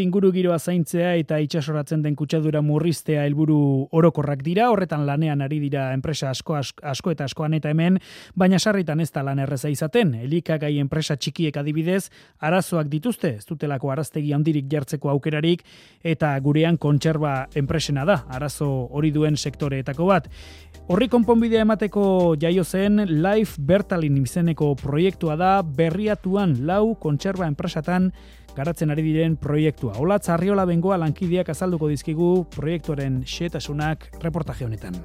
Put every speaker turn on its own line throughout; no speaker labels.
Ingurugiroa zaintzea eta itsasoratzen den kutsadura murriztea helburu orokorrak dira, horretan lanean ari dira enpresa asko eta askoan eta hemen, baina sarritan ez da lan erreza izaten. Elikagai enpresa txikiek adibidez, arazoak dituzte, ez dutelako araztegi handirik jartzeko aukerarik, eta gurean kontserba enpresena da, arazo hori duen sektoreetako bat. Horri konponbidea emateko jaio zen Life Bertalin izeneko proiektua da, Berriatuan 4 kontserba enpresatan garatzen ari diren proiektua. Olatz Arriola Bengoa lankideak azalduko dizkigu proiektuaren xehetasunak reportaje honetan.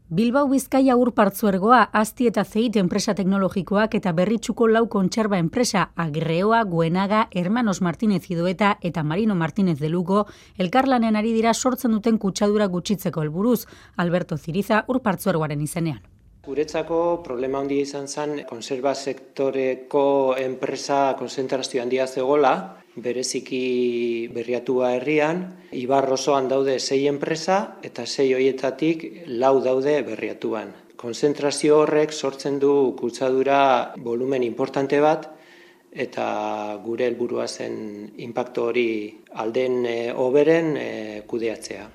Bilbao Bizkaia Ur Partzuergoa, Asti eta Zeit enpresa teknologikoak eta Berritxuko 4 kontserba enpresa Agreoa, Guenaga, Hermanos Martínez Idoeta eta Marino Martínez de Lugo elkarlanean ari dira sortzen duten kutsadura gutxitzeko helburuz. Alberto Ziriza Ur Partzuergoaren izenean.
Guretzako problema handia izan zen kontserba sektoreko enpresa konzentrazio handia zegoela, bereziki Berriatua herrian, Ibar osoan daude 6 enpresa eta 6 horietatik 4 daude Berriatuan. Konzentrazio horrek sortzen du kutsadura volumen importante bat eta gure helburua zen inpaktu hori alden hoberen kudeatzea.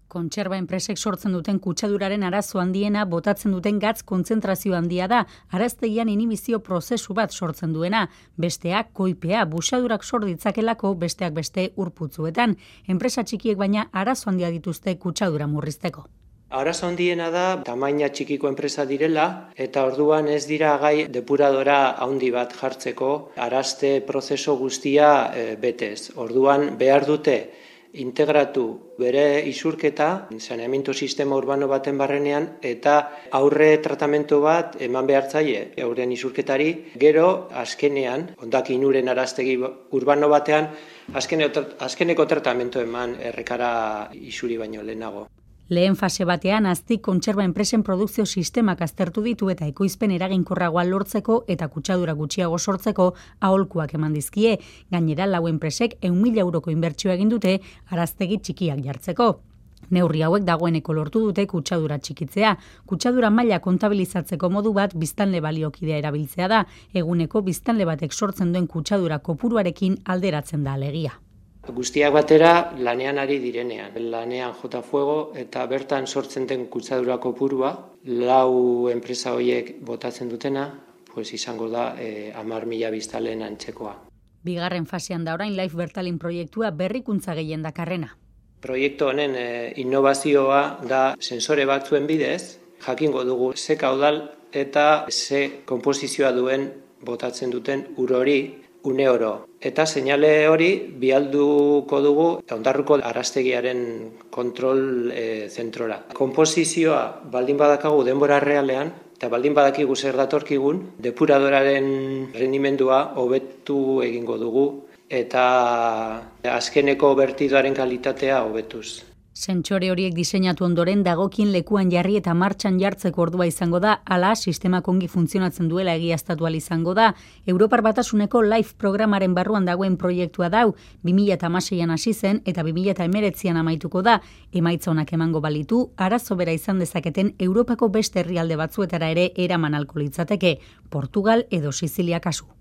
Kontserba enpresek sortzen duten kutsaduraren arazo handiena botatzen duten gatz kontzentrazio handia da, araztegian inhibizio prozesu bat sortzen duena, besteak koipea, busadurak sor ditzakelako besteak beste urputzuetan. Enpresa txikiek baina arazo handia dituzte kutsadura murrizteko.
Arazo handiena da tamaina txikiko enpresa direla eta orduan ez dira gai depuradora handi bat jartzeko arazte prozesu guztia betez. Orduan behar dute integratu bere isurketa, saneamiento sistema urbano baten barrenean, eta aurre tratamendu bat eman behar zaie euren isurketari, gero azkenean, hondakin uren araztegi urbano batean, azkeneko tratamendu eman errekara isuri baino lehenago.
Lehen fase batean Aztik kontserba enpresen produkzio sistemak aztertu ditu eta ekoizpen eraginkorragoa lortzeko eta kutsadura gutxiago sortzeko aholkuak eman dizkie. Gainera 4 enpresek 100.000 euroko inbertsioa egin dute araztegi txikiak jartzeko. Neurri hauek dagoeneko lortu dute kutsadura txikitzea. Kutsadura maila kontabilizatzeko modu bat biztanle baliokidea erabiltzea da. Eguneko biztanle batek sortzen duen kutsadura kopuruarekin alderatzen da alegia.
Guztiak batera lanean ari direnean. Lanean jota fuego eta bertan sortzen den kutsadura kopurua, 4 enpresa horiek botatzen dutena, pues izango da 10.000 biztanleen antzekoa.
Bigarren fasean da orain Life Bertalin proiektua berrikuntza gehien dakarrena.
Proiektu honen innovazioa da sensore batzuen bidez, jakingo dugu ze kaudal eta ze konposizioa duen botatzen duten ur hori, une oro. Eta seinale hori bialduko dugu Ondarruko araztegiaren kontrol zentrora. Konposizioa baldin badakagu denbora realean, eta baldin badakigu zer datorkigun, depuradoraren rendimendua hobetu egingo dugu, eta azkeneko bertidoaren kalitatea hobetuz.
Sentsore horiek diseinatu ondoren dagokien lekuan jarri eta martxan jartzeko ordua izango da, hala sistemak ongi funtzionatzen duela egiaztatu ahal izango da. Europar Batasuneko Life programaren barruan dagoen proiektua dau, 2016an hasi zen eta 2019an amaituko da. Emaitza onak emango balitu, arazo bera izan dezaketen Europako beste herrialde batzuetara ere eraman ahalko litzateke, Portugal edo Sizilia kasu.